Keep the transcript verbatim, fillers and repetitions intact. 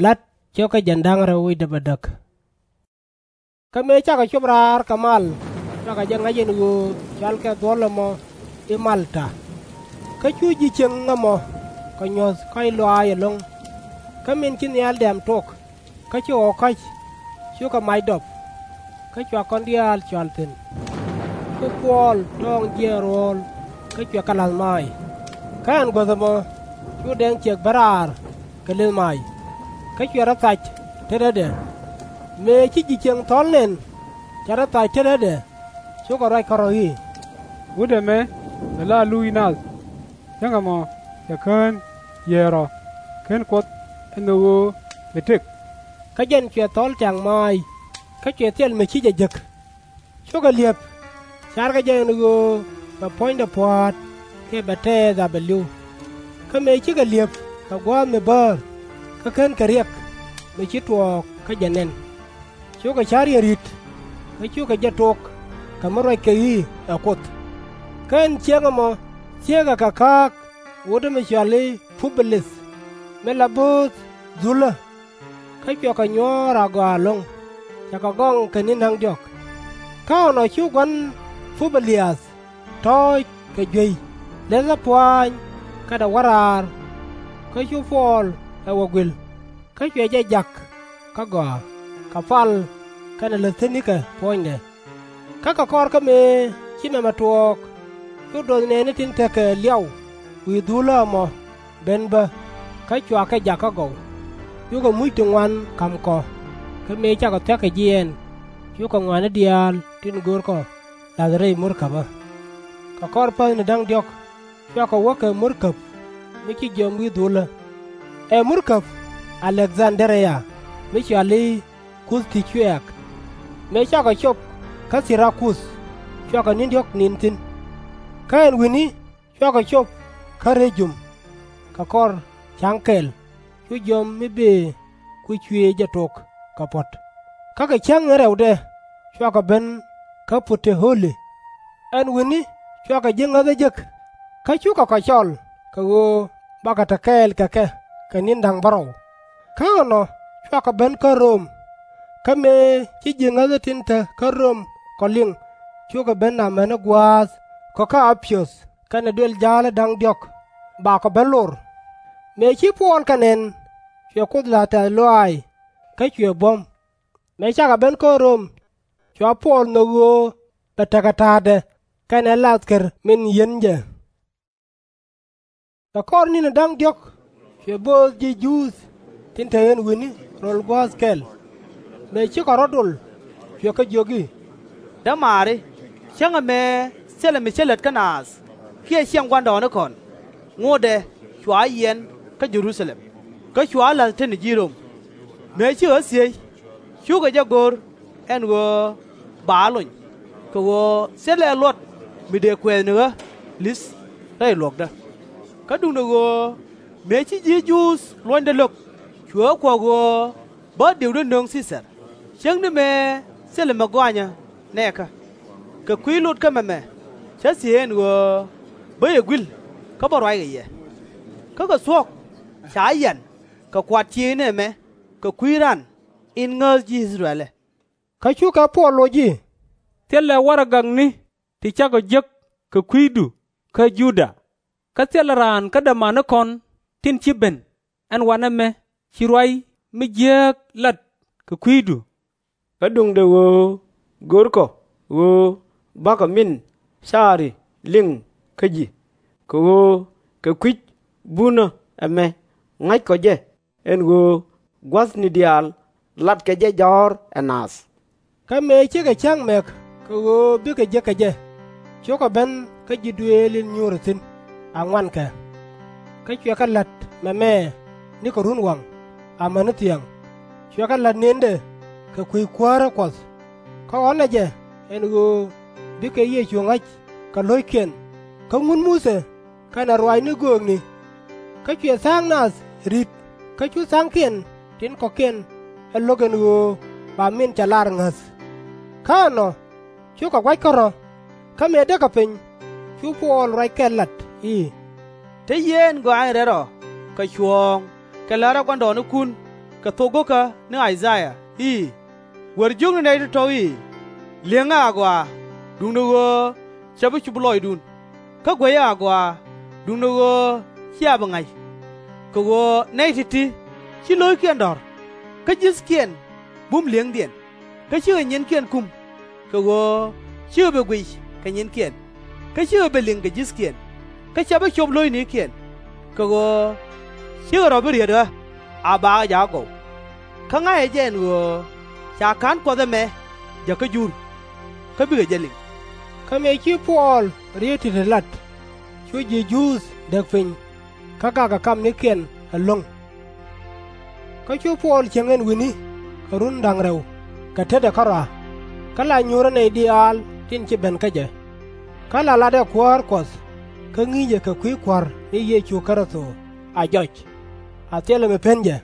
La̱t 3:13. Kä mëë cakɔ cop raar kɛ mal, cua kɛ jɛ ŋa̱c ɛn ɣöö cɔalkɛ dhuɔ̱l ɛmɔ i̱ Malta. Kä cu ji̱ cieŋ ɛmɔ kɛ nyuɔ̱th kɔ̱a̱c lɔaac ɛlɔ̱ŋ. Kä min ci nhial dɛ̈ɛ̈m tok, kä ci ɣɔw ka̱c, cukɛ mac dɔp. Kä cua kɔn diaal cɔal thi̱n. Cu Puɔl tɔɔŋ jiɛɛn ruɔ̱ɔ̱l, kä cuɛ kɛ la̱th maac. Kä ɛn guäth ɛmɔ cu dɛŋ ciɛk ben raar kɛ lëth maac, kä cuɛ rɔ thac tetädɛ. Mëë ci ji̱ cieŋ thɔ̱l nɛn, cɛ rɔ thac tetädɛ, cukɛ ruac kärɔ̱ i̱, Wut ɛmɛ ɛ la luuc nath. Cäŋ ɛmɔ cɛ kään yiëër ɔ, /ken Kuoth ɛn ɣöö bi tëk. Kä jɛn cuɛ thɔ̱l tɛ̈ŋ maac, kä cuɛ thil mi ci jɛ jek. Cukɛ li̱ep, carkɛ jɛ ɛn ɣöö bɛ puɔ̱nydɛ pua̱a̱t kiɛ bɛ tɛɛth a bɛ li̱w. Kä mëë cikɛ li̱ep kɛ gua̱a̱th mi bäär, kä /kenkɛ riɛk mi ci tuɔɔk kä jɛ nɛn. Cukɛ ca̱r yɛn ri̱t, kä cukɛ jɛ tok kɛ mi ruac kɛ i̱ ɛ Kuoth. Kä ɛn cieŋ ɛmɔ thiëëkɛ kɛ ka̱a̱k wutdä mi cɔal i̱ Pu-bi-lith, mi la bo̱o̱th dhulä. Kä cuɛ kɛ nyuɔ̱ɔ̱r agɔaa ɛlɔ̱ŋ, cɛ kɛ gɔŋ kɛ ni̱n da̱ŋ diɔ̱k. Kä ɛnɔ cu gua̱n Pu-bi-liath tɔ̱ɔ̱c kɛ juey, lɛthä pua̱a̱ny kɛnɛ wä raar. Kä cu Puɔl ɛ wä guil, kä cuɛ jɛ jak kä gɔaa, kɛ pal kɛnɛ läthänikɛ puɔ̱nydɛ. Kä kɛ kɔr kä mëë ci mɛmɛ tuɔɔk, cu duɔth nɛɛni tin tekɛ liaw wi̱i̱ dhulä ɛmɔ ben bä, kä cua kɛ jak kä gɔw. Cukɛ muc ti ŋuan ka̱m kɔ, kä mëë cakɔ thia̱k kɛ jiɛɛn, cukɛ ŋɔaani diaal tin görkɔ la̱th rɛy murkäpä. Kɛ kɔr päthni da̱ŋ diɔ̱k, cua kɔ wä kɛ murkäp mi ci jiɔam wi̱i̱ dhulä. Ɛ murkäp A-lek-dhan-dä-ria, mi cɔal i̱ Kuth ti Cuɛɛk. Mëë cakɔ cop kä Thi-ra-kuth, cua kɔ ni̱n diɔ̱k ni̱n thi̱n. Kä ɛn wi̱ni cua kɔ cop kä Rɛ-jum. Kɛ kɔr ca̱ŋ kɛl, cu jiɔam mi bëë ku cuëëc jɛ tok kɛ puɔ̱t. Kä kɛ cäŋ in rɛwdɛ, cua kɔ ben kä Pu-te-ɣöli. Ɛn wi̱ni cua kɔ ji̱ ŋäthä jek, kä cukɛ kɔ cɔl kɛ ɣöö bakɔ te kɛɛl kɛ kɛ kɛ ni̱n da̱ŋ bärɔw. Kä ɛnɔ cua kɔ ben kä Röm. Kä mëë ci ji̱ ŋäthä tin te kä Röm kɔ liŋ, cukɛ ben amäni gua̱a̱th kɔ kä A-pi-yɔth kɛnɛ duël ja̱a̱li da̱ŋ diɔ̱k bakɔ ben lor. Mëë ci Puɔl kɛ nɛn, cuɛ Kuoth la̱th tɛ̈th lɔaac, kä cuɛ buɔ̱m. Mëë cakɔ ben kä Röm, cua Puɔl nhök ɣöö bɛ tekɛ ta̱a̱dɛ kɛnɛ lathkɛr min yi̱n jɛ. Kɛ kɔr ni̱ni da̱ŋ diɔ̱k, cuɛ bööth ji̱ Juudh tin te ɣän wi̱ni röl guäth kɛl. Mëë cikɛ rɔ̱ dol, cuɛ kɛ jiök i̱, Dämaari, cäŋ ɛmɛ thilɛ mi cä lät kä naath kiɛ ciɛŋ gua̱ndɔɔŋnikɔn. Ŋotdɛ cua yiɛn kä Jɛ-ru-tha-lɛm, kä cua la̱th tetni ji̱ Röm. Mëë ci ɣä thiec, cukɛ jɛ go̱r ɛn ɣöö ba ɣä lony, kɛ ɣöö thilɛ luɔt mi dëë kuɛɛth ni ɣä li̱th rɛy luɔ̱kdä. Kä duundɛ ɣöö mëë ci ji̱ Juudh luɔ̱nydɛ lo̱k, cuɛ ɣä kuɔ̱k ɣöö bä dëëkdä nöŋ Thi-thar, cäŋ ni mëë thilɛ mi gɔanyä nɛɛkä. Kɛ kui̱ lot kä mɛmɛ, cä thiëëc ɛn ɣöö bä yɛ gui̱l kä bä ruackɛ yɛ. Kä kɛ thuɔ̱k, ca yian kɛ kuat ciëëcni ɛmɛ kɛ kui̱ ran in ŋääth ji̱ I-thɛ-rɛl ɛ. Kä cukɛ Puɔl loc i̱, Thilɛ warɛgakni ti cakɔ jek kɛ kui̱du kä Juda, kä thilɛ raan kä dämanikɔn tin ci ben ɛn wanɛ mɛ ci ruac mi jiääk lat kɛ kui̱du. Kä duundɛ ɣöö görkɔ ɣöö bakɔ min caari liŋ kä ji̱, kɛ ɣöö kɛ kui̱c bunä ɛmɛ ŋa̱ckɔ jɛ ɛn ɣöö gua̱thni diaal latkɛ jɛ jɔ̱ɔ̱r ɛ naath. Kä mëë cikɛ cäŋ mɛk kɛ ɣöö bikɛ jek kɛ jɛ, cukɛ ben kä ji̱ duëël in nyuurɛ thi̱n, a ŋuan kɛ. Kä cuɛ kɛ la̱t mɛmɛ nikɛ runwaŋ, amäni thiaŋ, cuɛ kɛ la̱t nëndɛ kɛ kui̱ kuäärä Kuɔth. Kä ɣɔ̱nɛ jɛ ɛn ɣöö bikɛ Yecu ŋa̱c kɛ lo̱ckiɛn, kä ŋut Muthɛ kɛnɛ ruaacni göökni. Kä cuɛ tha̱a̱ŋ nath ri̱t, kä cu tha̱a̱ŋkiɛn tin kɔ̱kiɛn ɛ lo̱k ɛn ɣöö ba min cɛ lar ŋäth. Kä ɛnɔ cukɛ gua̱c kärɔ̱. Kä mëë däkɛ piny, cu Puɔl ruac kɛl lat i̱, Te yee ɛn gɔaa in rɛl rɔ kɛ cuɔ̱ɔ̱ŋ kɛ la̱rä gua̱ndɔɔŋnikun. Kɛ thok go̱kä ni I-cä-yaa i̱, Wër jiökni nɛy tɔ̱tɔ̱ i̱, Li̱eŋɛ agɔaa, duundɛ ɣöö /cɛ bi cup lɔcdun, kä guɛcɛ agɔaa, duundɛ ɣöö /cia bi ŋa̱c. Kɛ ɣöö nɛy ti̱ti̱ /ci lo̱ckiɛn dɔ̱r, kä ji̱thkiɛn bum li̱eŋdiɛn, kä /cikɛ nyiɛnkiɛn kum, kɛ ɣöö /cikɛ bi guic kɛ nyiɛnkiɛn, kä /cikɛ bi liŋ kɛ ji̱thkiɛn, kä /cɛ bi cop lo̱cnikiɛn, kɛ ɣöö /cikɛ rɔ̱ bi riet ɣä a bakä jakä gɔw. Kä ŋa̱cɛ jɛ ɛn ɣöö ca ka̱n Kuɔth ɛmɛ jäkä Jur, kä bikɛ jɛ liŋ. Kä mëë ci Puɔl riet ti̱ti̱ lat, cu ji̱ Juudh däk piny, kä gakɛ kamnikiɛn ɛlɔ̱ŋ. Kä cu Puɔl cieŋ ɛn wi̱ni kɛ run da̱ŋ rɛw kɛ tetdɛ kärɔa, kä la nyuurä nɛy diaal tin ci ben kä jɛ, kä la latdɛ Kuäär Kuɔth, kä ŋi̱i̱cɛ kɛ kui̱ Kua̱r ni Yecu Kritho a jɔc, a thilɛ mi pen jɛ.